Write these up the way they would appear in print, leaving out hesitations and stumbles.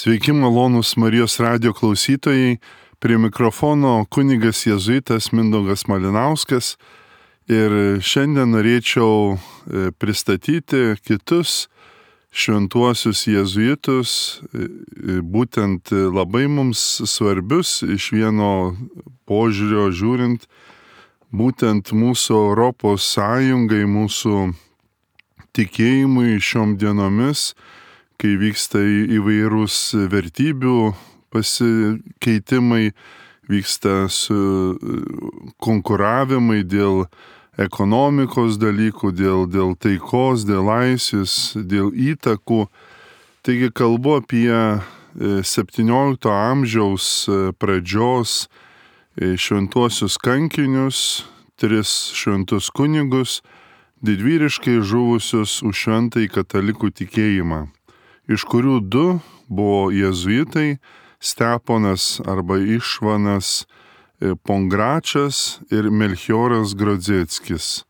Sveiki malonūs Marijos radijo klausytojai, prie mikrofono kunigas jėzuitas Mindaugas Malinauskas ir šiandien norėčiau pristatyti kitus šventuosius jėzuitus, būtent labai mums svarbius iš vieno požiūrio žiūrint, būtent mūsų Europos Sąjungai, mūsų tikėjimui šiom dienomis, kai vyksta įvairūs vertybių pasikeitimai, vyksta konkuravimai dėl ekonomikos dalykų, dėl taikos, dėl laisvės, dėl įtakų. Taigi kalbu apie 17 amžiaus pradžios šventuosius kankinius, 3 šventus kunigus, didvyriškai žuvusius už šventąjį katalikų tikėjimą, iš kurių 2 buvo jėzuitai, Steponas arba Išvanas Pongračas ir Melchioras Grodzieckis.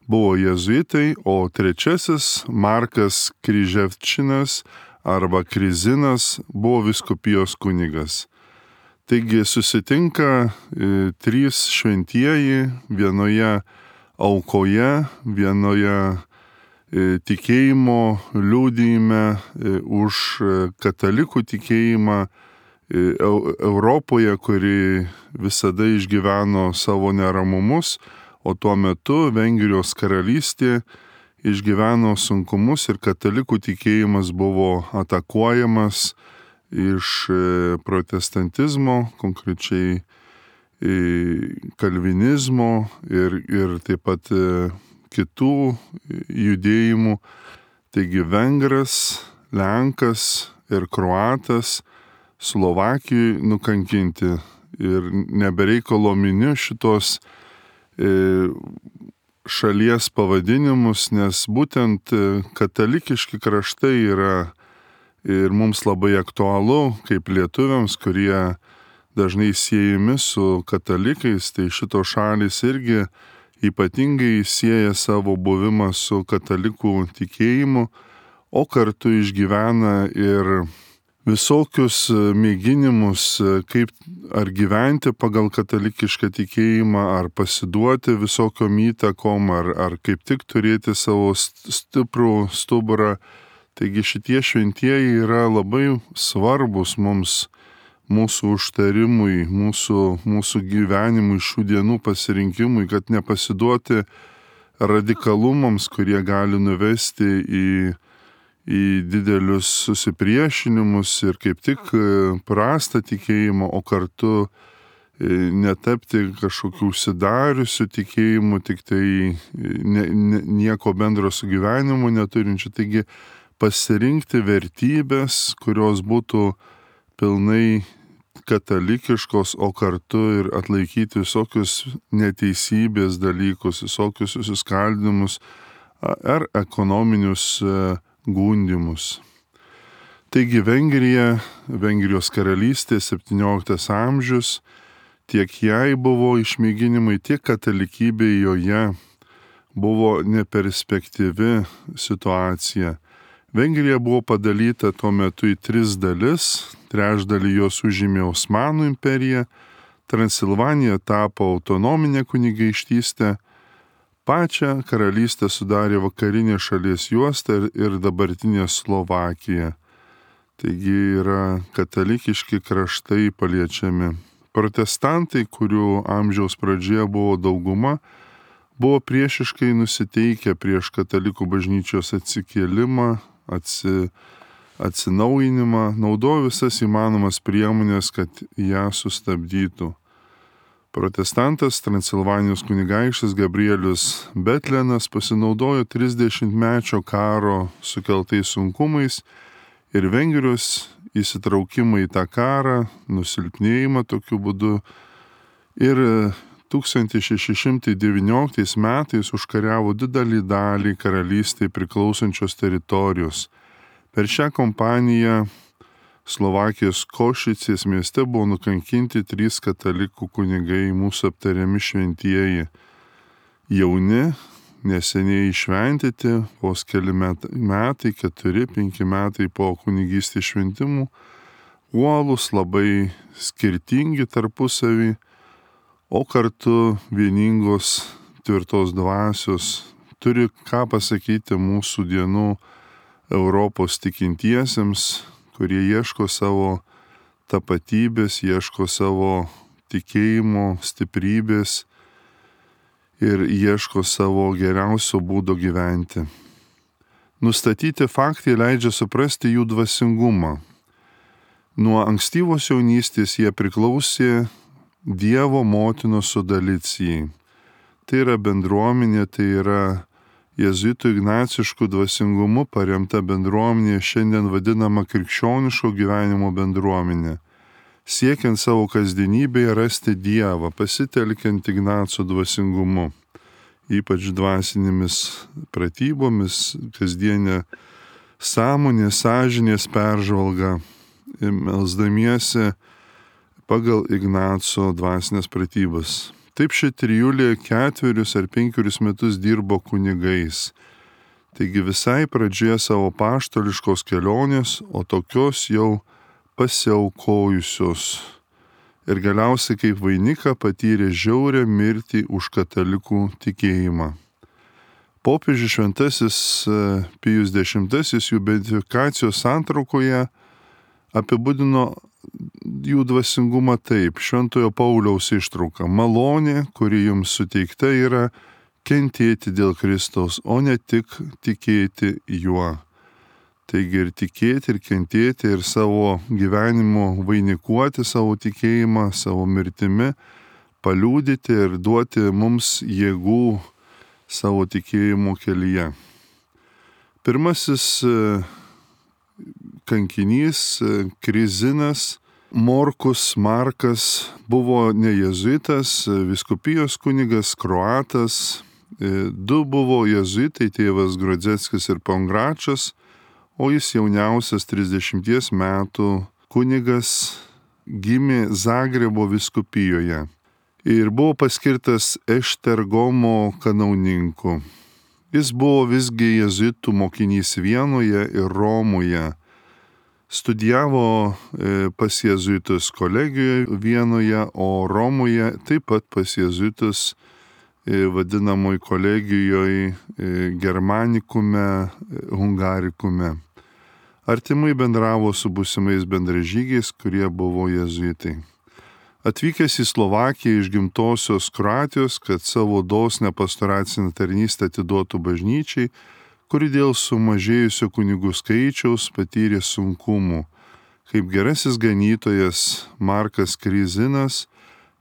Buvo jėzuitai, o 3 Markas Kryževčinas arba Krizinas buvo vyskupijos kunigas. Taigi susitinka 3 šventieji vienoje aukoje, vienoje tikėjimo liudijime už katalikų tikėjimą Europoje, kuri visada išgyveno savo neramumus, o tuo metu Vengrijos karalystė išgyveno sunkumus ir katalikų tikėjimas buvo atakuojamas iš protestantizmo, konkrečiai kalvinizmo ir taip pat kitų judėjimų. Taigi vengras, lenkas ir kroatas Slovakijoje nukankinti ir nebereikalo miniu šitos šalies pavadinimus, nes būtent katalikiški kraštai yra ir mums labai aktualu, kaip lietuviams, kurie dažnai siejami su katalikais, tai šitos šalys irgi ypatingai sieja savo buvimą su katalikų tikėjimu, o kartu išgyvena ir visokius mėginimus, kaip ar gyventi pagal katalikišką tikėjimą, ar pasiduoti visokiom įtakom, ar kaip tik turėti savo stiprų stuburą. Taigi šitie šventieji yra labai svarbus mums, mūsų užtarimui, mūsų gyvenimui, šių dienų pasirinkimui, kad nepasiduoti radikalumams, kurie gali nuvesti į didelius susipriešinimus ir kaip tik prastą tikėjimą, o kartu netapti kažkokių užsidariusių tikėjimų, tik tai nieko bendro su gyvenimu neturinčių. Taigi pasirinkti vertybės, kurios būtų pilnai katalikiškos, o kartu ir atlaikyti visokius neteisybės dalykus, visokius susiskaldimus ar ekonominius gundimus. Taigi Vengrijos karalystė, 17 amžius, tiek jai buvo išmėginimai, tiek katalikybė joje buvo neperspektyvi situacija. Vengrija buvo padalyta tuo metu į 3 dalis, trečdalį jos užėmė Osmanų imperija, Transilvanija tapo autonominė kunigaikštystė, pačią karalystę sudarė vakarinė šalies juosta ir dabartinė Slovakija. Taigi yra katalikiški kraštai paliečiami. Protestantai, kurių amžiaus pradžioje buvo dauguma, buvo priešiškai nusiteikę prieš katalikų bažnyčios atsikėlimą, atsinaujinimą, naudojo visas įmanomas priemonės, kad ją sustabdytų. Protestantas Transilvanijos kunigaikštis Gabrielius Betlenas pasinaudojo 30-mečio karo sukeltais sunkumais ir Vengrijos įsitraukimą į tą karą, nusilpnėjimą tokiu būdu, ir 1619 metais užkariavo didelį dalį karalystei priklausančios teritorijos. Per šią kompaniją Slovakijos Košicės mieste buvo nukankinti 3 katalikų kunigai, mūsų aptariami šventieji. Jauni, neseniai išventyti, vos keli metai, 4-5 metai po kunigystės šventimų, uolūs, labai skirtingi tarpusavį, o kartu vieningos tvirtos dvasios, turi ką pasakyti mūsų dienų Europos tikintiesiems, kurie ieško savo tapatybės, ieško savo tikėjimo stiprybės ir ieško savo geriausio būdo gyventi. Nustatyti faktai leidžia suprasti jų dvasingumą. Nuo ankstyvos jaunystės jie priklausė Dievo motinos sudalicijai. Tai yra bendruomenė, tai yra jėzuitų ignaciškų dvasingumu paremta bendruomenė, šiandien vadinama krikščioniško gyvenimo bendruomenė. Siekiant savo kasdienybėje rasti Dievą, pasitelkiant Ignaco dvasingumu, ypač dvasinėmis pratybomis, kasdienė sąmonė, sąžinės peržvalga, melsdamiesi pagal Ignaco dvasinės pratybas. Taip ši trijulė 4 ar 5 metus dirbo kunigais. Taigi visai pradžioje savo apaštališkos kelionės, o tokios jau pasiaukojusios. Ir galiausiai kaip vainiką patyrė žiaurią mirtį už katalikų tikėjimą. Popiežius Šventasis Pijus X jų beatifikacijos santraukoje apibūdino jų dvasingumą taip, Šventojo Pauliaus ištrauka: malonė, kuri jums suteikta, yra kentėti dėl Kristaus, o ne tik tikėti juo. Taigi ir tikėti, ir kentėti, ir savo gyvenimu vainikuoti savo tikėjimą, savo mirtimi, paliūdyti ir duoti mums jėgų savo tikėjimo kelyje. Pirmasis kankinys Krizinas Morkus Markas buvo ne jėzuitas, vyskupijos kunigas, kroatas. 2 buvo jėzuitai, tėvas Grodzeckis ir Pongračas, o jis jauniausias 30 metų kunigas gimė Zagrebo vyskupijoje ir buvo paskirtas Eštergomo kanauninku. Jis buvo visgi jėzuitų mokinys Vienoje ir Romoje. Studijavo pas jėzuitus kolegijoje Vienoje, o Romoje taip pat pas jėzuitus vadinamoj kolegijoje Germanikume, Hungarikume. Artimai bendravo su būsimais bendražygiais, kurie buvo jėzuitai. Atvykęs į Slovakiją iš gimtosios Kroatijos, kad savo dosnią pastoracinę tarnystę atiduotų bažnyčiai, kuri dėl sumažėjusio kunigų skaičiaus patyrė sunkumų. Kaip gerasis ganytojas Markas Krizinas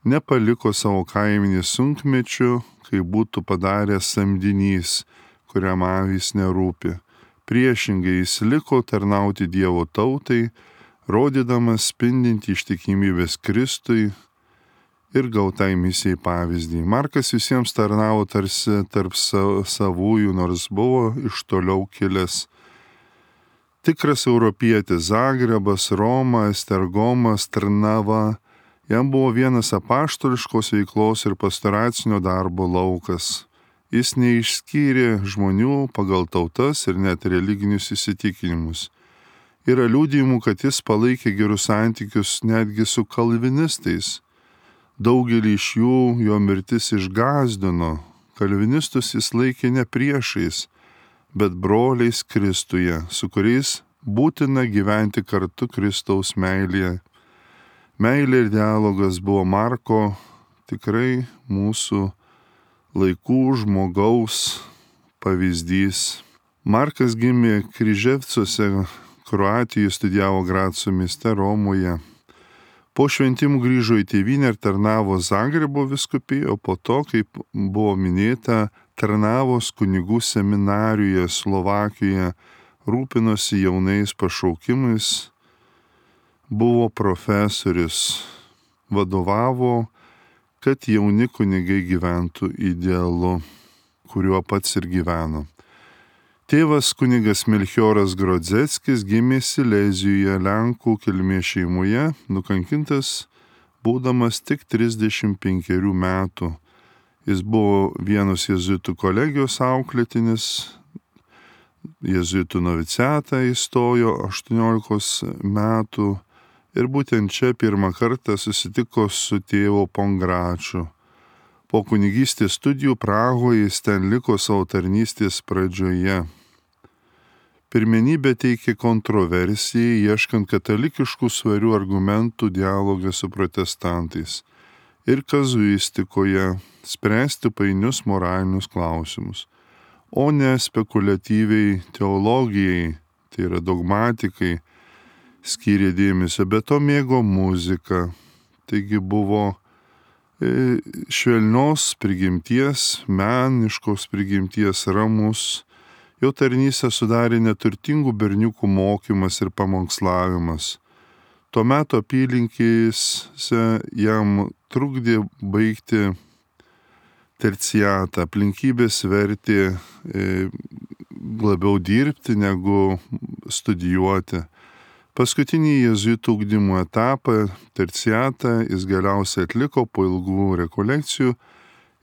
nepaliko savo kaiminį sunkmečiu, kai būtų padaręs samdinys, kuriam avys nerūpi. Priešingai jis liko tarnauti Dievo tautai, rodydamas spindinti ištikimybės Kristui ir gautai misijai pavyzdį. Markas visiems tarnavo tarsi tarp savųjų, nors buvo iš toliau kilęs. Tikras europietis Zagrebas, Roma, Estergomas, Trnava, jam buvo vienas apaštališkos veiklos ir pastoracinio darbo laukas. Jis neišskyrė žmonių pagal tautas ir net religinius įsitikinimus. Yra liudijimų, kad jis palaikė gerus santykius netgi su kalvinistais. Daugelį iš jų jo mirtis išgąsdino. Kalvinistus jis laikė ne priešais, bet broliais Kristuje, su kuriais būtina gyventi kartu Kristaus meilėje. Meilė ir dialogas buvo Marko tikrai mūsų laikų žmogaus pavyzdys. Markas gimė Kryževcuose, Kroatijoje, studijavo Graco mieste, Romoje. Po šventimų grįžo į tėvynę ir tarnavo Zagrebo vyskupijoje, o po to, kaip buvo minėta, tarnavos kunigų seminarijoje Slovakijoje, rūpinosi jaunais pašaukimais, buvo profesorius, vadovavo, kad jauni kunigai gyventų idealu, kuriuo pats ir gyveno. Tėvas kunigas Melchioras Grodzeckis gimė Silezijoje, Lenkų kilmės šeimoje, nukankintas būdamas tik 35 metų. Jis buvo vienos jėzuitų kolegijos auklėtinis, jėzuitų noviciatą įstojo 18 metų Ir būtent čia pirmą kartą susitiko su tėvu Pongračiu. Po kunigystės studijų Prahoje jis ten liko savo tarnystės pradžioje. Pirmenybę teikė kontroversijai, ieškant katalikiškų svarių argumentų dialogą su protestantais ir kazuistikoje spręsti painius moralinius klausimus, o ne spekuliatyviai teologijai, tai yra dogmatikai, skyrė dėmesio, bet to mėgo muziką. Taigi buvo švelnios prigimties, meniškos prigimties, ramus. Jo tarnystę sudarė neturtingų berniukų mokymas ir pamokslavimas. Tuo metu apylinkėse jam trukdė baigti terciatą, aplinkybės vertė labiau dirbti negu studijuoti. Paskutinį jėzuitų ugdymo etapą, terciatą, jis galiausiai atliko po ilgų rekolekcijų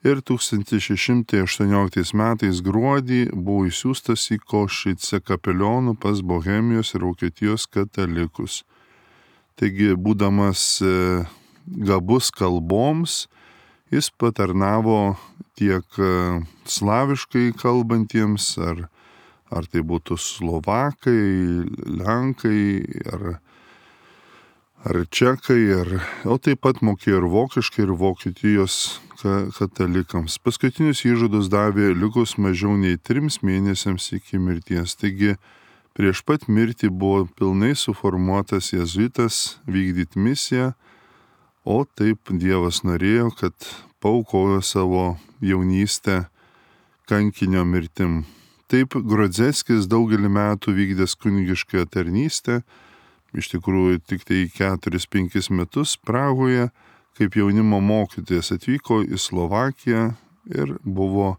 ir 1618 metais gruodį buvo išsiųstas į Košicę kapelionų pas Bohemijos ir Vokietijos katalikus. Taigi, būdamas gabus kalboms, jis patarnavo tiek slaviškai kalbantiems, ar tai būtų slovakai, lenkai, ar čekai, o taip pat mokėjo ir vokiškai, ir Vokietijos katalikams. Paskutinius įžadus davė likus mažiau nei 3 mėnesiams iki mirties. Taigi, prieš pat mirtį buvo pilnai suformuotas jėzuitas vykdyti misiją, o taip Dievas norėjo, kad paaukojo savo jaunystę kankinio mirtim. Taip Grodzeckis daugelį metų vykdęs kunigiškąją tarnystę, iš tikrųjų tik tai 4-5 metus Prahoje, kaip jaunimo mokytojas atvyko į Slovakiją ir buvo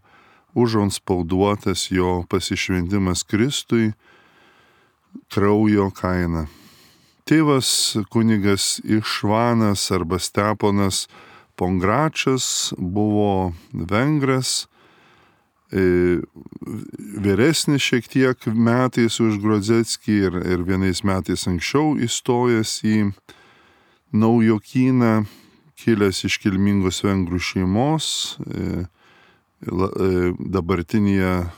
užantspauduotas jo pasišventimas Kristui kraujo kaina. Tėvas kunigas Išvanas arba Steponas Pongračas buvo vengras, vyresnis šiek tiek metais už Grodzeckį ir vienais metais anksčiau įstojęs į Naujokyną, kilęs iš kilmingos vengrų šeimos, dabartinėje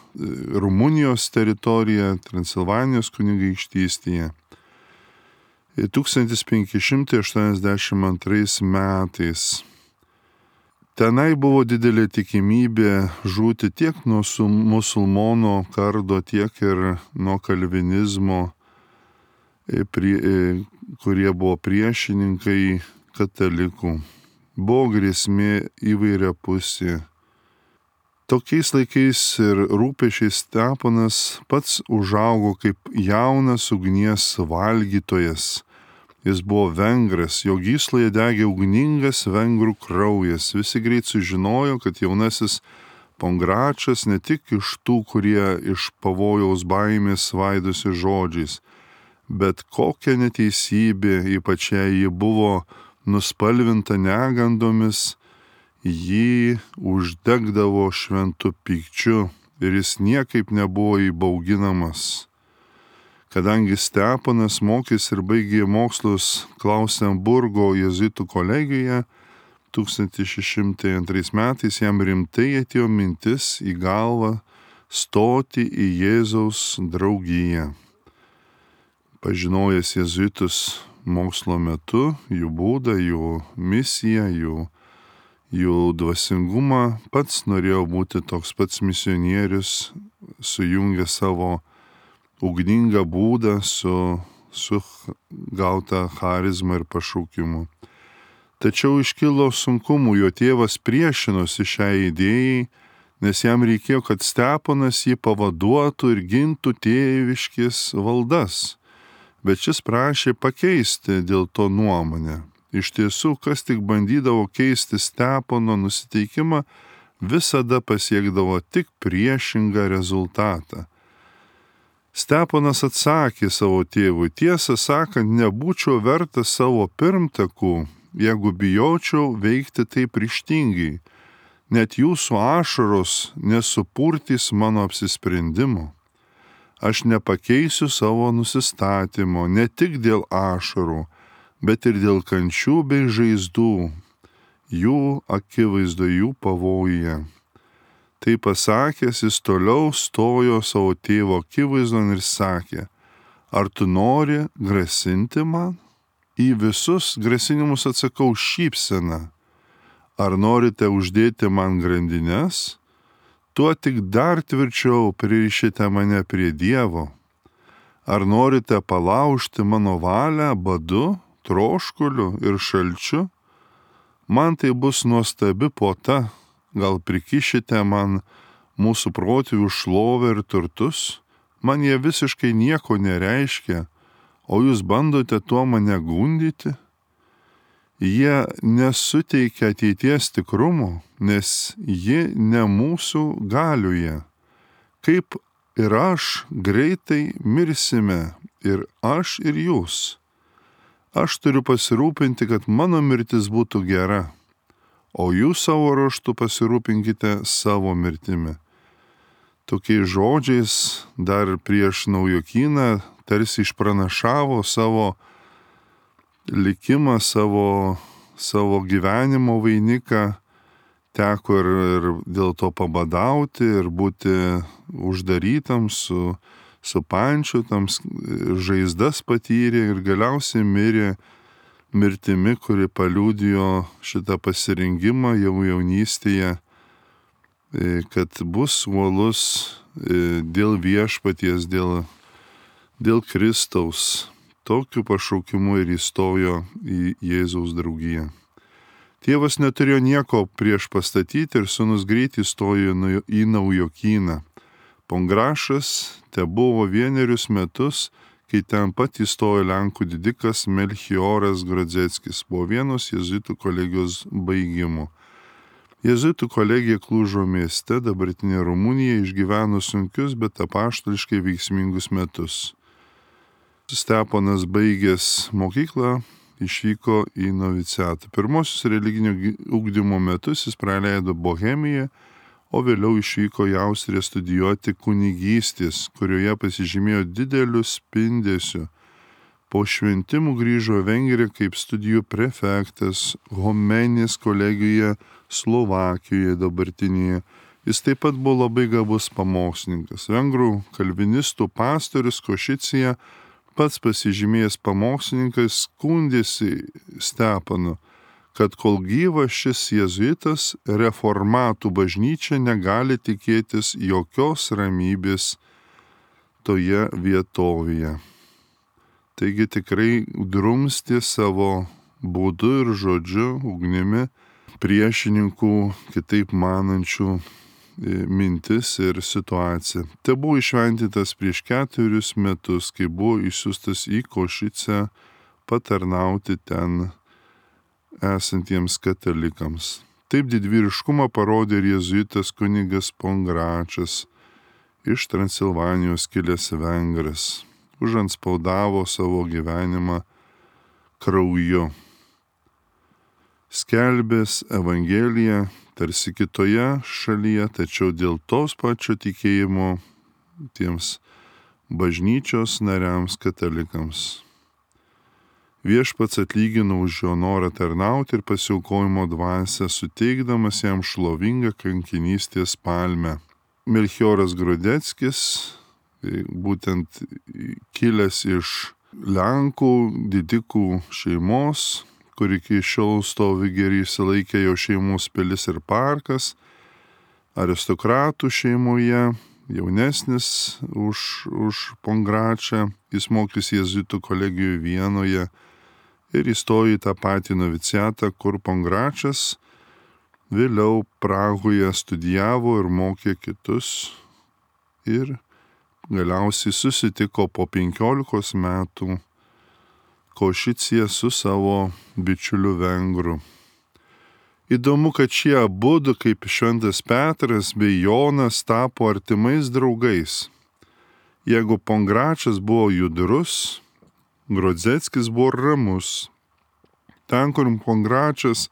Rumunijos teritorijoje, Transilvanijos kunigaikštystėje. 1582 metais tenai buvo didelė tikimybė žūti tiek nuo musulmonų kardo, tiek ir nuo kalvinizmo, kurie buvo priešininkai katalikų. Buvo grėsmė įvairiapusė. Tokiais laikais ir rūpešiais Steponas pats užaugo kaip jaunas ugnies valgytojas. Jis buvo vengras, jo gysloje degė ugningas vengrų kraujas. Visi greit sužinojo, kad jaunasis Pongračas ne tik iš tų, kurie iš pavojaus baimės svaidosi žodžiais, bet kokia neteisybė, ypač jei ji buvo nuspalvinta negandomis, jį uždegdavo šventu pykčiu ir jis niekaip nebuvo įbauginamas. Kadangi Steponas mokėsi ir baigė mokslus Klausenburgo jėzuitų kolegijoje, 1602 metais jam rimtai atėjo mintis į galvą stoti į Jėzaus draugiją. Pažinojęs jėzuitus mokslo metu, jų būdą, jų misiją, jų dvasingumą, pats norėjo būti toks pats misionierius, sujungė savo ugningą būdą su gauta charizma ir pašaukimu. Tačiau iškilo sunkumų, jo tėvas priešinosi šiai idėjai, nes jam reikėjo, kad Steponas jį pavaduotų ir gintų tėviškės valdas. Bet šis prašė pakeisti dėl to nuomonę. Iš tiesų, kas tik bandydavo keisti Stepono nusiteikimą, visada pasiekdavo tik priešingą rezultatą. Steponas atsakė savo tėvui: tiesą sakant, nebūčiau vertas savo pirmtakų, jeigu bijočiau veikti taip ryžtingai. Net jūsų ašaros nesupurtys mano apsisprendimo. Aš nepakeisiu savo nusistatymo ne tik dėl ašarų, bet ir dėl kančių bei žaizdų, jų akivaizdoje, jų pavojuje. Tai pasakęs, jis toliau stojo savo tėvo akivaizdon ir sakė: ar tu nori grasinti man? Į visus grasinimus atsakau šypsena. Ar norite uždėti man grandines? Tuo tik dar tvirčiau pririšite mane prie Dievo. Ar norite palaužti mano valią badu, troškuliu ir šalčiu? Man tai bus nuostabi puota. Gal prikišite man mūsų protėvių šlovę ir turtus? Man jie visiškai nieko nereiškia, o jūs bandote tuo mane gundyti? Jie nesuteikia ateities tikrumo, nes ji ne mūsų galioje. Kaip ir aš greitai mirsime, ir aš, ir jūs. Aš turiu pasirūpinti, kad mano mirtis būtų gera, o jūs savo ruožtu pasirūpinkite savo mirtimi. Tokiais žodžiais dar prieš naujokyną tarsi išpranašavo savo likimą, savo gyvenimo vainiką. Teko ir dėl to pabadauti, ir būti uždarytam, supančiotams, žaizdas patyrė ir galiausiai mirė mirtimi, kuri paliudijo šitą pasirinkimą jau jaunystėje, kad bus uolus dėl viešpaties, dėl Kristaus. Tokiu pašaukimu ir įstojo į Jėzaus draugiją. Tėvas neturėjo nieko prieš pastatyti ir sūnus greit įstojo į naujokyną. Pongrašas tebuvo 1 metus, kai ten pat įstojo Lenkų didikas Melchioras Grodzeckis po vienos jėzuitų kolegijos baigimo. Jėzuitų kolegija Klužo mieste, dabartinė Rumunija, išgyveno sunkius, bet apaštališkai veiksmingus metus. Steponas baigęs mokyklą išvyko į noviciatą. Pirmosius religinio ugdymo metus jis praleido Bohemijoje, o vėliau išvyko į Austriją studijuoti kunigystės, kurioje pasižymėjo dideliu spindesiu. Po šventimų grįžo Vengriją kaip studijų prefektas Homenės kolegijoje Slovakijoje dabartinėje. Jis taip pat buvo labai gabus pamokslininkas. Vengrų kalvinistų pastorius Košicija, pats pasižymėjęs pamokslininkas, skundėsi Stepanu, kad kol gyvas šis jėzuitas, reformatų bažnyčia negali tikėtis jokios ramybės toje vietovėje. Taigi tikrai drumstė savo būdu ir žodžiu, ugnimi priešininkų kitaip manančių mintis ir situacija. Tai buvo išventytas prieš 4 metus, kai buvo išsiųstas į Košicę patarnauti ten esantiems katalikams. Taip didvyriškumą parodė ir jėzuitas kunigas Pongračas, iš Transilvanijos kilęs vengras, užantspaudavo savo gyvenimą krauju. Skelbęs Evangeliją tarsi kitoje šalyje, tačiau dėl tos pačio tikėjimo tiems bažnyčios nariams katalikams. Viešpats atlygino už jo norą tarnauti ir pasiaukojimo dvasią, suteikdamas jam šlovingą kankinystės palmę. Melchioras Grodzeckis, būtent kilęs iš Lenkų didikų šeimos, kur iki šiol stovi geri išsilaikę jo šeimos pilis ir parkas, aristokratų šeimoje, jaunesnis už Pongračą, jis mokys jėzuitų kolegijoje Vienoje ir įstojo į tą patį noviciatą, kur Pongračas vėliau Prahoje studijavo ir mokė kitus ir galiausiai susitiko po 15 metų Košicėje su savo bičiuliu vengru. Įdomu, kad šie abudu, kaip šventas Petras bei Jonas, tapo artimais draugais. Jeigu Pongračas buvo judrus, Grodzeckis buvo ramus. Ten, kur Pongračas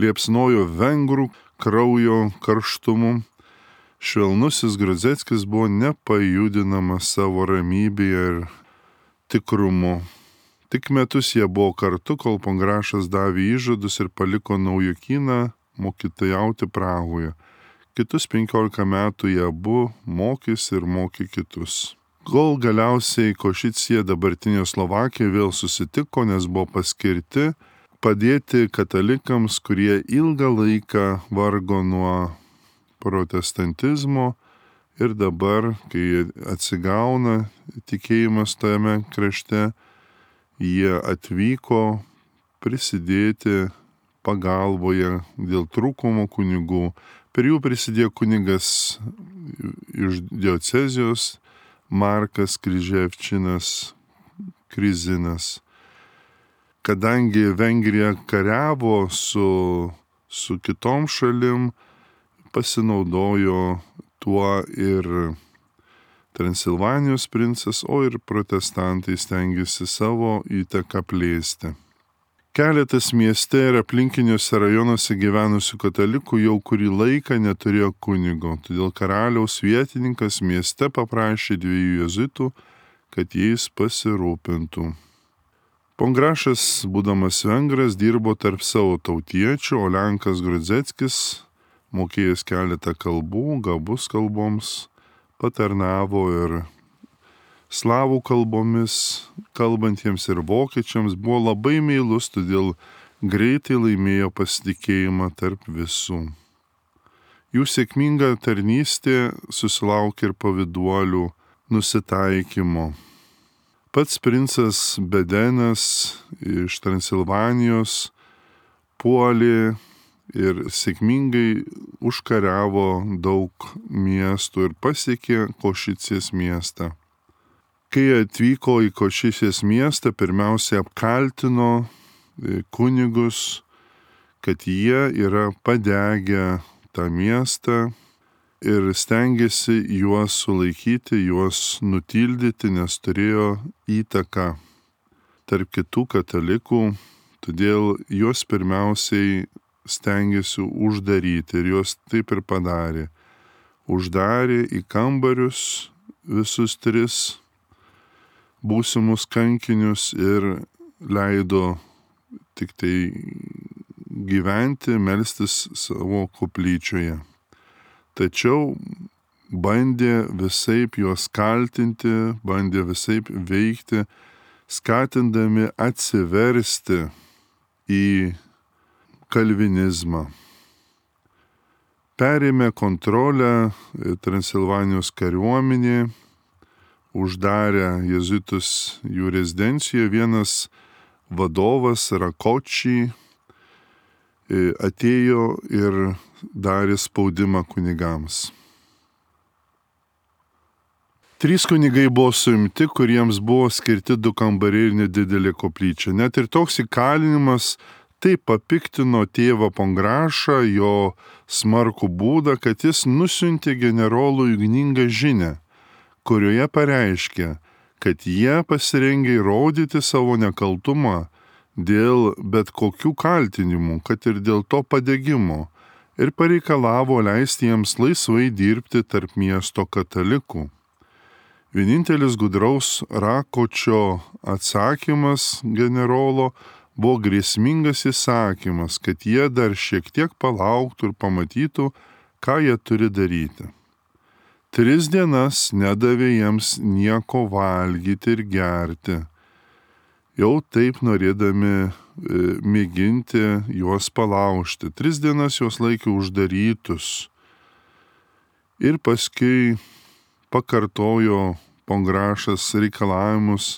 liepsnojo vengrų kraujo karštumu, švelnusis Grodzeckis buvo nepajudinamas savo ramybėje ir tikrumu. Tik metus jie buvo kartu, kol Pongrašas davė įžadus ir paliko Naujokyną mokytojauti Prahoje. Kitus 15 metų jie abu mokėsi ir mokė kitus. Kol galiausiai Košicija, dabartinė Slovakija, vėl susitiko, nes buvo paskirti padėti katalikams, kurie ilgą laiką vargo nuo protestantizmo ir dabar, kai atsigauna tikėjimas tame krašte, jie atvyko prisidėti pagalboje dėl trūkumo kunigų. Per jų prisidėjo kunigas iš diocezijos Markas Kryževčinas Krizinas. Kadangi Vengrija kariavo su kitom šalim, pasinaudojo tuo ir Transilvanijos princas, o ir protestantai stengiasi savo įtaką plėsti. Keletas mieste ir aplinkiniuose rajonuose gyvenusių katalikų jau kurį laiką neturėjo kunigo, todėl karaliaus vietininkas mieste paprašė 2 jėzuitų, kad jais pasirūpintų. Pongrašas, būdamas vengras, dirbo tarp savo tautiečių, o lenkas Grudzeckis, mokėjęs keletą kalbų, gabus kalboms, patarnavo ir slavų kalbomis kalbantiems ir vokiečiams, buvo labai meilus, todėl greitai laimėjo pasitikėjimą tarp visų. Jų sėkminga tarnystė susilaukė ir pavyduolių nusitaikymo. Pats princas Bedenas iš Transilvanijos puolė ir sėkmingai užkariavo daug miestų ir pasiekė Košicės miestą. Kai atvyko į Košicės miestą, pirmiausia apkaltino kunigus, kad jie yra padegę tą miestą ir stengiasi juos sulaikyti, juos nutildyti, nes turėjo įtaką tarp kitų katalikų, todėl juos pirmiausiai stengiasi uždaryti ir juos taip ir padarė. Uždarė į kambarius visus 3 būsimus kankinius ir leido tik tai gyventi, melstis savo koplyčioje. Tačiau bandė visaip juos kaltinti, bandė visaip veikti, skatindami atsiversti į kalvinizmą. Perėmė kontrolę Transilvanijos kariuomenė, uždarė jėzuitus jų rezidencijoje. Vienas vadovas Rakočiai atėjo ir darė spaudimą kunigams. 3 kunigai buvo suimti, kuriems buvo skirti 2 kambariai ir nedidelė koplyčia. Net ir toks įkalinimas taip papiktino tėvą Pongrašą, jo smarkų būdą, kad jis nusiuntė generolui ugningą žinią, kurioje pareiškė, kad jie pasirengė įrodyti savo nekaltumą dėl bet kokių kaltinimų, kad ir dėl to padegimo, ir pareikalavo leisti jiems laisvai dirbti tarp miesto katalikų. Vienintelis gudraus Rakočio atsakymas generolo buvo grėsmingas įsakymas, kad jie dar šiek tiek palauktų ir pamatytų, ką jie turi daryti. 3 dienas nedavė jiems nieko valgyti ir gerti, jau taip norėdami mėginti juos palaužti. 3 dienas juos laikė uždarytus ir paskui pakartojo Pongrašas reikalavimus,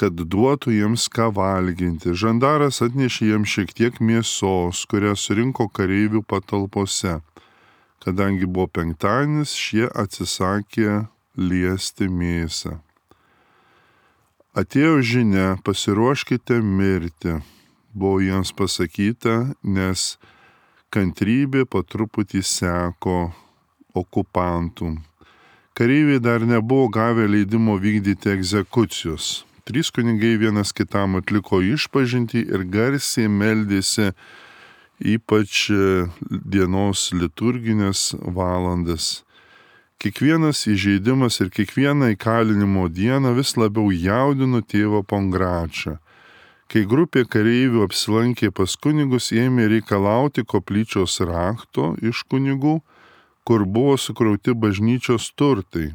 kad duotų jiems ką valginti. Žandaras atnešė jiems šiek tiek mėsos, kurią surinko kareivių patalpose. Kadangi buvo penktadienis, šie atsisakė liesti mėsą. Atėjo žinia, pasiruoškite mirti, buvo jiems pasakyta, nes kantrybė po truputį seko okupantų. Kareiviai dar nebuvo gavę leidimo vykdyti egzekucijos. 3 kunigai vienas kitam atliko išpažintį ir garsiai meldėsi, ypač dienos liturginės valandas. Kiekvienas įžeidimas ir kiekviena įkalinimo diena vis labiau jaudino tėvą Pongračą. Kai grupė kareivių apsilankė pas kunigus, ėmė reikalauti koplyčios rakto iš kunigų, kur buvo sukrauti bažnyčios turtai.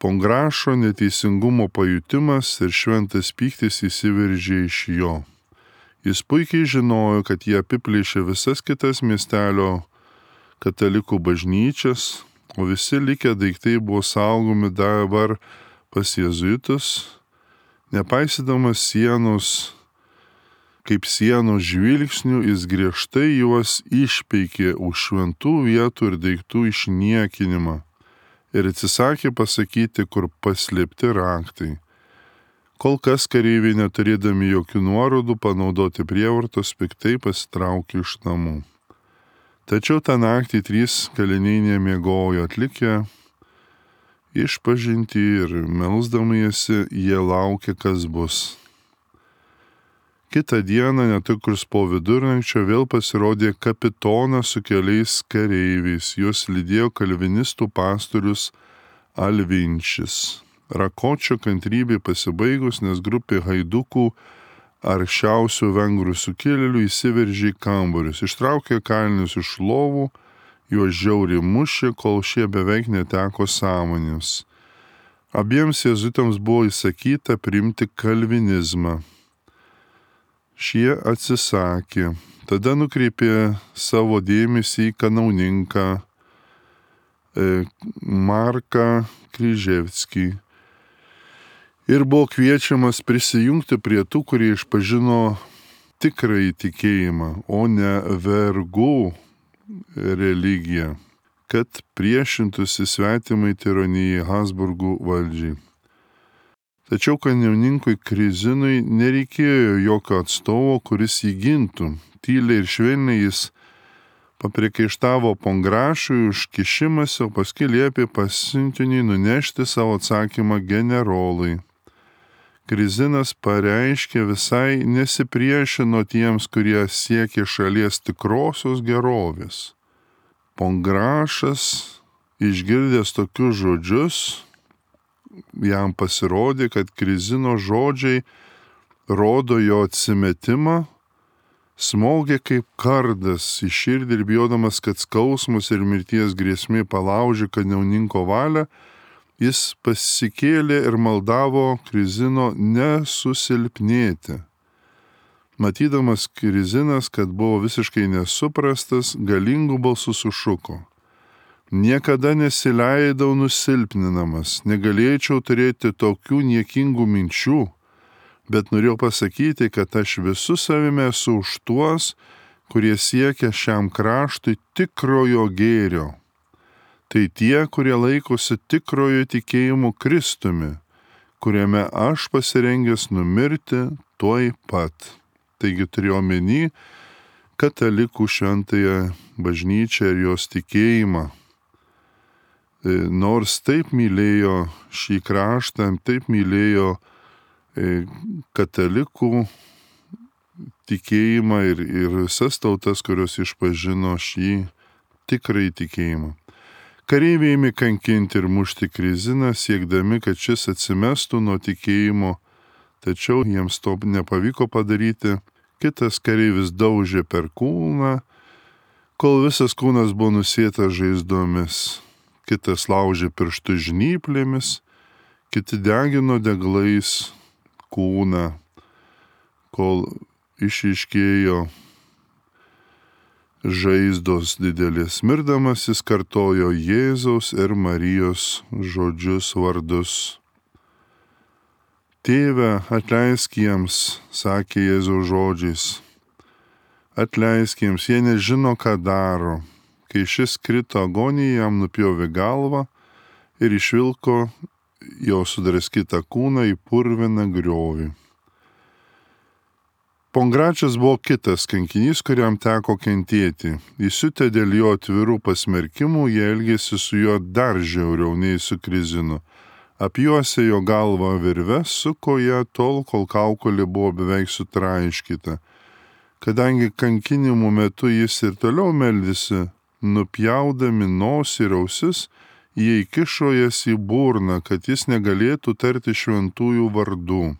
Pongrašo neteisingumo pajutimas ir šventas pyktis įsiveržė iš jo. Jis puikiai žinojo, kad jie apiplėšė visas kitas miestelio katalikų bažnyčias, o visi likę daiktai buvo saugomi dabar pas jėzuitus, nepaisydamas sienos, kaip sienos žvilgsnių, jis griežtai juos išpeikė už šventų vietų ir daiktų išniekinimą ir atsisakė pasakyti, kur paslėpti raktai. Kol kas kareiviai, neturėdami jokių nuorodų panaudoti prievartos, piktai pasitraukė iš namų. Tačiau tą naktį 3 kaliniai nemiegojo, atlikę išpažintį ir melsdamiesi, jie laukė, kas bus. Kitą dieną, netrukus po vidurnakčio, vėl pasirodė kapitonas su keliais kareiviais. Juos lydėjo kalvinistų pastorius Alvinčis. Rakočio kantrybė pasibaigus, nes grupė haidukų aršiausių vengrų sukilėlių įsiveržė į kambarius, ištraukė kalinius iš lovų, juos žiauriai mušė, kol šie beveik neteko sąmonės. Abiems jėzuitams buvo įsakyta priimti kalvinizmą. Šie atsisakė. Tada nukreipė savo dėmesį į kanauninką Marką Kryževskį ir buvo kviečiamas prisijungti prie tų, kurie išpažino tikrąjį tikėjimą, o ne vergų religiją, kad priešintųsi svetimai tironijai Habsburgų valdžiai. Tačiau kanauninkui Krizinui nereikėjo jokio atstovo, kuris jį gintų. Tyliai ir švelniai jis papriekaištavo Pongrašui už kišimąsi, o paskui liepė pasiuntiniui nunešti savo atsakymą generolui. Krizinas pareiškė visai nesipriešino tiems, kurie siekė šalies tikrosios gerovės. Pongrašas, išgirdęs tokius žodžius, jam pasirodė, kad Krizino žodžiai rodo jo atsimetimą, smogė kaip kardas į širdį ir bijodamas, kad skausmus ir mirties grėsmė palaužė kanauninko valią, jis pasikėlė ir maldavo Krizino nesusilpnėti. Matydamas Krizinas, kad buvo visiškai nesuprastas, galingų balsų sušuko: niekada nesileidau nusilpninamas, negalėčiau turėti tokių niekingų minčių, bet norėjau pasakyti, kad aš visų savimi esu už tuos, kurie siekia šiam kraštui tikrojo gėrio. Tai tie, kurie laikosi tikrojo tikėjimo Kristumi, kuriame aš pasirengęs numirti tuoj pat. Taigi turiu omeny katalikų šventąją bažnyčią ir jos tikėjimą. Nors taip mylėjo šį kraštą, taip mylėjo katalikų tikėjimą ir visas tautas, kurios išpažino šį tikrąjį tikėjimą. Kareiviai ėmė kankinti ir mušti Kriziną, siekdami, kad šis atsimestų nuo tikėjimo, tačiau jiems to nepavyko padaryti. Kitas kareivis daužė per kūną, kol visas kūnas buvo nusėtas žaizdomis. Kitas laužė pirštų žnyplėmis, kiti degino deglais kūną, kol išryškėjo žaizdos didelės. Mirdamas jis kartojo Jėzaus ir Marijos žodžius, vardus. Tėve, atleisk jiems, sakė Jėzaus žodžiais. Atleisk jiems, jie nežino, ką daro. Kai šis krito agonijai, jam nupjovė galvą ir išvilko jo sudraskytą kūną į purviną griovį. Pongračas buvo kitas kankinys, kuriam teko kentėti. Įsiutę dėl jo atvirų pasmerkimų, jie elgėsi su juo dar žiauriau nei su Krizinu. Apjuosė jo galvą virve, suko ją tol, kol kaukolė buvo beveik sutraiškyta. Kadangi kankinimų metu jis ir toliau meldėsi, nupjaudami nosį ir ausis, jie įkišo jas į burną, kad jis negalėtų tarti šventųjų vardų.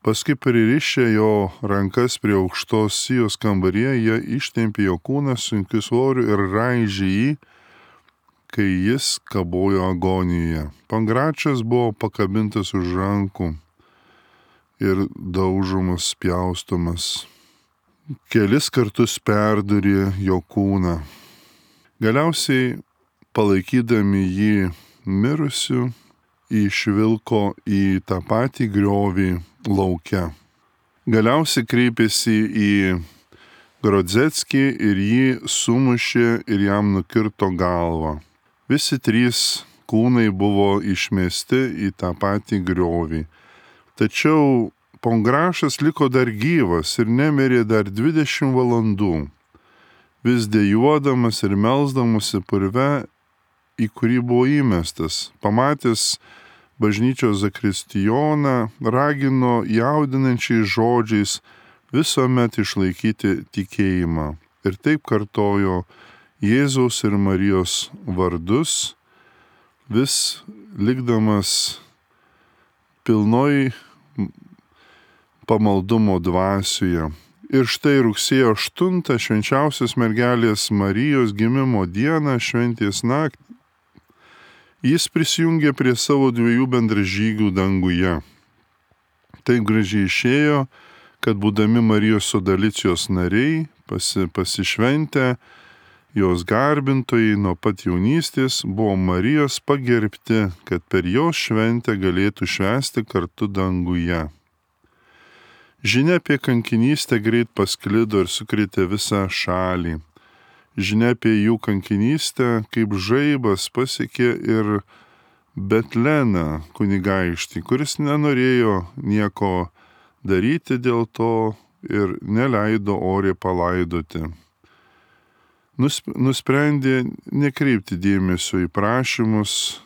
Paskui pririšę jo rankas prie aukštos sijos kambaryje, jie ištempė jo kūną sunkiu svoriu ir raižė jį, kai jis kabojo agonijoje. Pangračias buvo pakabintas už rankų ir daužomas, pjaustomas. Kelis kartus perdurė jo kūną. Galiausiai, palaikydami jį mirusiu, išvilko į tą patį griovį lauke. Galiausiai kreipėsi į Grodzeckį ir jį sumušė ir jam nukirto galvą. Visi trys kūnai buvo išmesti į tą patį griovį. Tačiau Pongrašas liko dar gyvas ir nemirė dar 20 valandų, vis dejuodamas ir melsdamasi purve, į kurį buvo įmestas. Pamatęs bažnyčios zakristijoną, ragino jaudinančiais žodžiais visuomet išlaikyti tikėjimą. Ir taip kartojo Jėzaus ir Marijos vardus, vis likdamas pilnoj pamaldumo dvasioje. Ir štai rugsėjo 8 švenčiausios mergelės Marijos gimimo dieną, šventės naktį, jis prisijungė prie savo 2 bendražygių danguje. Taip gražiai išėjo, kad būdami Marijos sodalicijos nariai, pasišventę, jos garbintojai nuo pat jaunystės buvo Marijos pagerbti, kad per jos šventę galėtų švęsti kartu danguje. Žinia apie kankinystę greit pasklido ir sukrėtė visą šalį. Žinia apie jų kankinystę kaip žaibas pasiekė ir Betleną kunigaikštį, kuris nenorėjo nieko daryti dėl to ir neleido oriai palaidoti. Nusprendė nekreipti dėmesio į prašymus,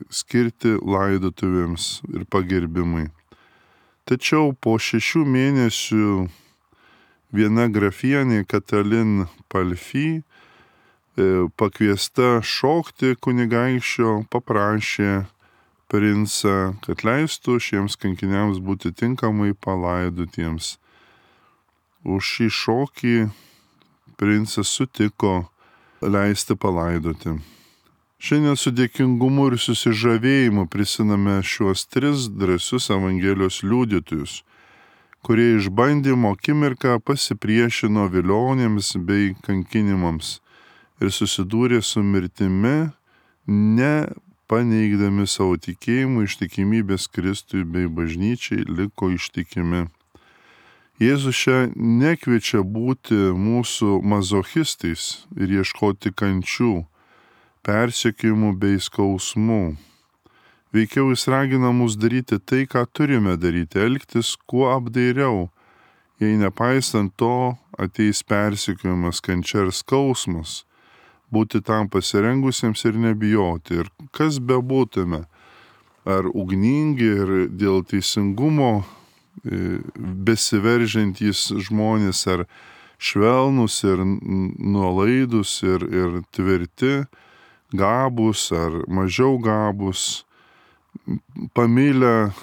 skirti laidotuvėms ir pagerbimui. Tačiau po 6 mėnesių viena grafienė Katalin Palfi, pakviesta šokti kunigaikščio, paprašė princą, kad leistų šiems kankiniams būti tinkamai palaidotiems. Už šį šokį princas sutiko leisti palaidoti. Šiandien su dėkingumu ir susižavėjimu prisimame šiuos 3 drąsius Evangelijos liudytojus, kurie išbandymo akimirką pasipriešino vilionėms bei kankinimams ir susidūrė su mirtimi, nepaneigdami savo tikėjimų, ištikimybės Kristui bei bažnyčiai liko ištikimi. Jėzus čia nekviečia būti mūsų mazochistais ir ieškoti kančių, persekiojimų bei skausmų. Veikiau jis ragina mus daryti tai, ką turime daryti, elgtis kuo apdairiau, jei nepaisant to ateis persekiojimas, kančia ir skausmas, būti tam pasirengusiems ir nebijoti. Ir kas bebūtume, ar ugningi ir dėl teisingumo besiveržiantys žmonės, ar švelnus ir nuolaidus ir tvirti, gabus ar mažiau gabus, pamilę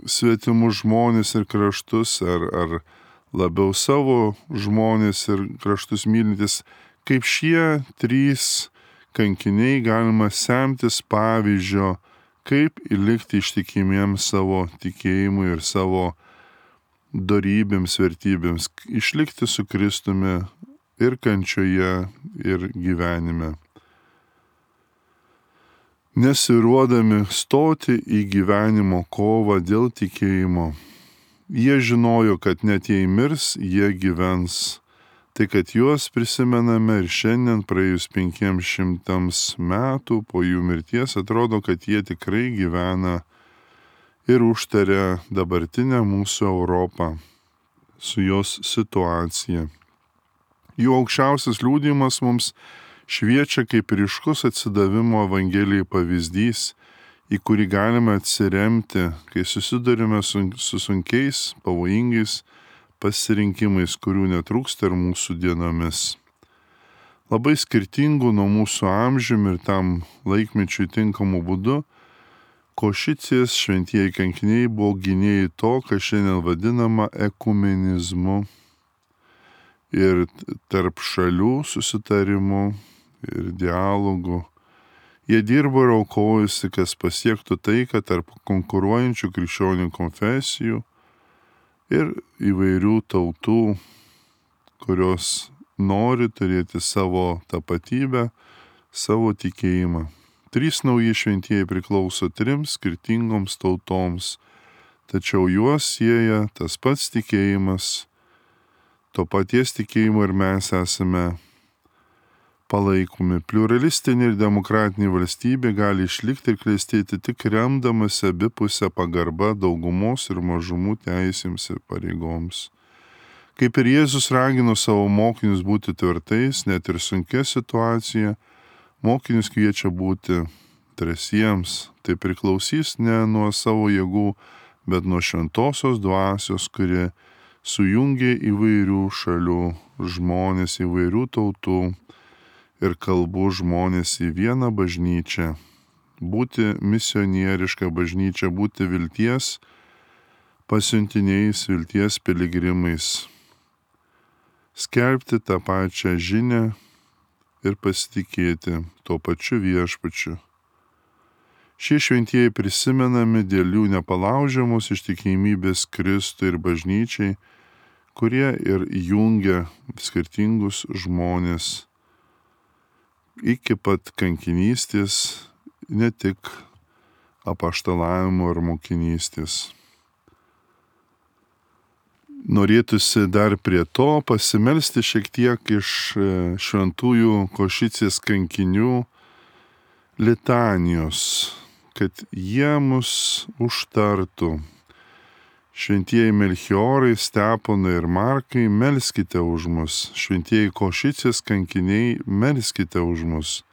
svetimus žmonės ir kraštus, ar labiau savo žmonės ir kraštus mylintis, kaip šie 3 kankiniai galima semtis pavyzdžio, kaip likti ištikimiems savo tikėjimui ir savo dorybėms, vertybėms, išlikti su Kristumi ir kančioje, ir gyvenime. Nesiruodami stoti į gyvenimo kovą dėl tikėjimo. Jie žinojo, kad net jei mirs, jie gyvens. Tai kad juos prisimename ir šiandien praėjus 500 metų po jų mirties, atrodo, kad jie tikrai gyvena ir užtaria dabartinę mūsų Europą su jos situacija. Jų aukščiausias liudijimas mums šviečia kaip ryškus atsidavimo Evangelijai pavyzdys, į kurį galime atsiremti, kai susidurime su sunkiais, pavojingais pasirinkimais, kurių netrūksta ir mūsų dienomis. labai skirtingų nuo mūsų amžiumi ir tam laikmečiui tinkamų būdų, Košicės šventieji kankiniai buvo gynėjai to, kas šiandien vadinama ekumenizmu ir tarp šalių susitarimų ir dialogų. Jie dirbo ir aukojusi, kas pasiektų taiką tarp konkuruojančių krikščionių konfesijų ir įvairių tautų, kurios nori turėti savo tapatybę, savo tikėjimą. 3 nauji šventieji priklauso 3 skirtingoms tautoms, tačiau juos sieja tas pats tikėjimas, to paties tikėjimo ir mes esame palaikomi. Pliuralistinė ir demokratinė valstybė gali išlikti ir klestėti tik remdamasi abipusę pagarbą daugumos ir mažumų teisėms ir pareigoms. Kaip ir Jėzus ragino savo mokinius būti tvirtais, net ir sunkia situacija, mokinius kviečia būti drąsiems. Tai priklausys ne nuo savo jėgų, bet nuo šventosios dvasios, kuri sujungia įvairių šalių žmonės, įvairių tautų ir kalbų žmonės į vieną bažnyčią. Būti misionieriška bažnyčia, būti vilties pasiuntiniais, vilties piligrimais. Skelbti tą pačią žinią ir pasitikėti tuo pačiu viešpačiu. Šie šventieji prisimenami dėl jų nepalaužiamos ištikimybės Kristui ir bažnyčiai, kurie ir jungia skirtingus žmonės iki pat kankinystės, ne tik apaštalavimo ir mokinystės. Norėtųsi dar prie to pasimelsti šiek tiek iš šventųjų Košicės kankinių litanijos, kad jie mus užtartų. Šventieji Melchiorai, Steponai ir Markai, melskite už mus. Šventieji Košicės kankiniai, melskite už mus.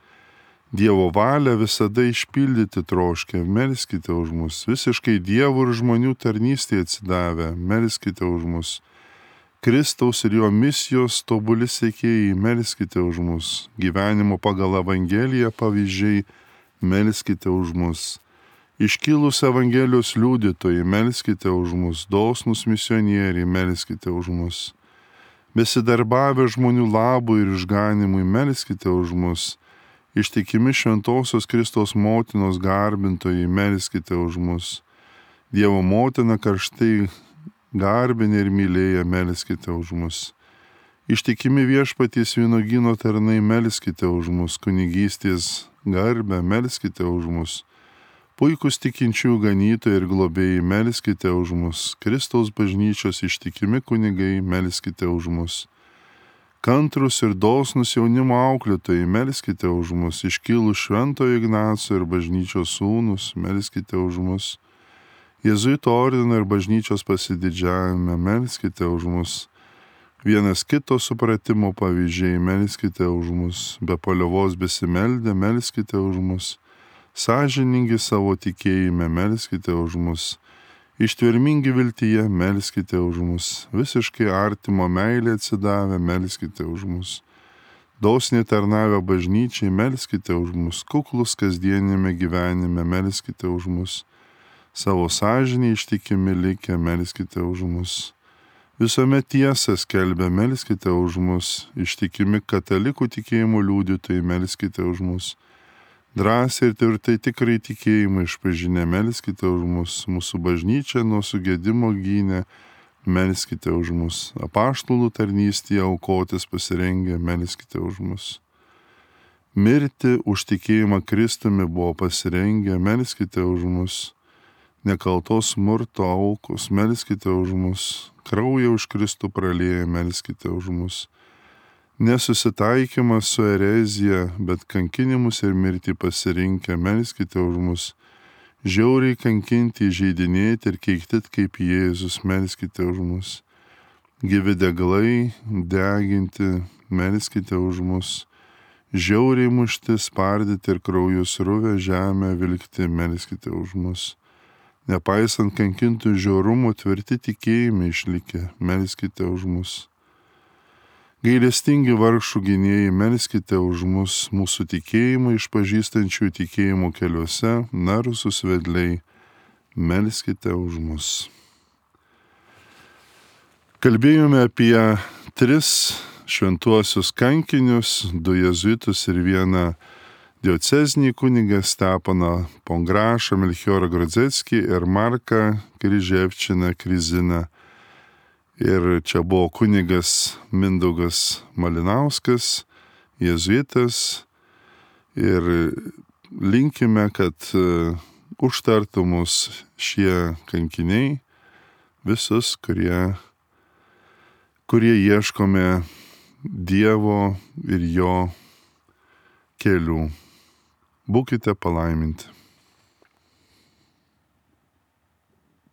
Dievo valią visada išpildyti troškę, melskite už mus. Visiškai Dievo ir žmonių tarnystėje atsidavę, melskite už mus. Kristaus ir jo misijos tobuli sekėjai, melskite už mus. Gyvenimo pagal Evangeliją pavyzdžiai, melskite už mus. Iškilus Evangelijos liudytojai, melskite už mus. Dosnus misionieriai, melskite už mus. Besidarbavę žmonių labui ir išganimui, melskite už mus. Ištikimi šventosios Kristaus motinos garbintojai, melskite už mus. Dievo motina karštai garbinė ir mylėja, melskite už mus. Ištikimi viešpaties vynuogyno tarnai, melskite už mus. Kunigystės garbę, melskite už mus. Puikus tikinčių ganytojai ir globėjai, melskite už mus. Kristaus bažnyčios ištikimi kunigai, melskite už mus. Kantrus ir dosnus jaunimo auklėtojai, melskite už mus. Iškilus Šventojo Ignaco ir bažnyčios sūnus, melskite už mus. Jėzuito ordino ir bažnyčios pasididžiavime, melskite už mus. Vienas kito supratimo pavyzdžiai, melskite už mus. Be paliovos besimeldę, melskite už mus. Sąžiningi savo tikėjime, melskite už mus. Ištvermingi viltyje, melskite už mus. Visiškai artimo meilė atsidavę, melskite už mus. Dosniai tarnavę bažnyčiai, melskite už mus. Kuklus kasdienėme gyvenime, melskite už mus. Savo sąžinį ištikimi likę, melskite už mus. Visuomet tiesą skelbia, melskite už mus. Ištikimi katalikų tikėjimo liudytojai, melskite už mus. Drąsiai ir tvirtai tikrai tikėjimą išpažinę, melskite už mus. Mūsų bažnyčia nuo sugedimo gynė, melskite už mus. Apaštalų tarnystėje aukotis pasirengę, melskite už mus. Mirti už tikėjimą Kristumi buvo pasirengę, melskite už mus. Nekaltos smurto aukos, melskite už mus. Kraują už Kristų pralieję, melskite už mus. Nesusitaikymas su erezija, bet kankinimus ir mirtį pasirinkę, melskite už mus. Žiauriai kankinti, įžeidinėti ir keikti kaip Jėzus, melskite už mus. Gyvi deglai, deginti, melskite už mus. Žiauriai mušti, spardyti ir kraujus ruvę žemę vilkti, melskite už mus. Nepaisant kankintų žiaurumų, tvirti tikėjimai išlikę, melskite už mus. Gailestingi vargšų gynėjai, melskite už mus, mūsų tikėjimą išpažįstančių tikėjimo keliuose, narsus vedliai, melskite už mus. Kalbėjome apie 3 šventuosius kankinius, 2 jėzuitus ir 1 diocezinį kunigą Stepaną Pongrašą, Melchiorą Grodzeckį ir Marką Kryževčiną Kriziną. Ir čia buvo kunigas Mindaugas Malinauskas, jėzuitas. Ir linkime, kad užtartų mus šie kankiniai, visus, kurie ieškome Dievo ir jo kelių. Būkite palaiminti.